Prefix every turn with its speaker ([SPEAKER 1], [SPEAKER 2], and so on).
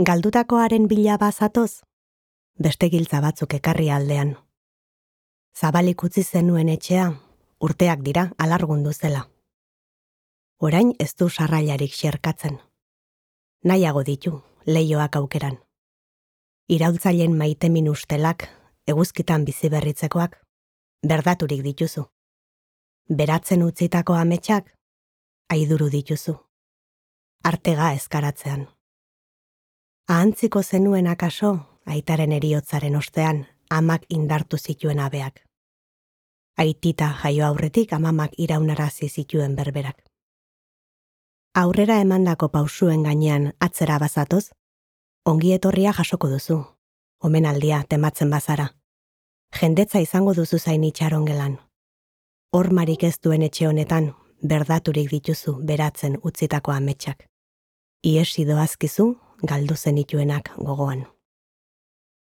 [SPEAKER 1] Galdutakoaren bila bazatoz, beste giltza batzuk ekarri aldean. Zabalik utzi zenuen etxea, urteak dira alargundu zela. Orain ez du sarrailarik xerkatzen. Nahiago ditu, leihoak aukeran. Iraultzaileen maitemin ustelak, eguzkitan bizi berritzekoak, berdaturik dituzu. Beratzen utzitako ametsak, aiduru dituzu. Artega ezkaratzean. Ahantziko zenuen akaso, aitaren heriotzaren ostean, amak indartu zituen abeak. Aitita jaio aurretik amamak iraunarazi zituen berberak. Aurrera emandako pausuen gainean atzera bazatoz, ongi etorria jasoko duzu, omenaldia tematzen bazara. Jendetza izango duzu zain itxaron gelan. Hormarik ez duen etxe honetan, berdaturik dituzu beratzen utzitako ametsak. Iesi doazkizu, galdu zenituenak gogoan.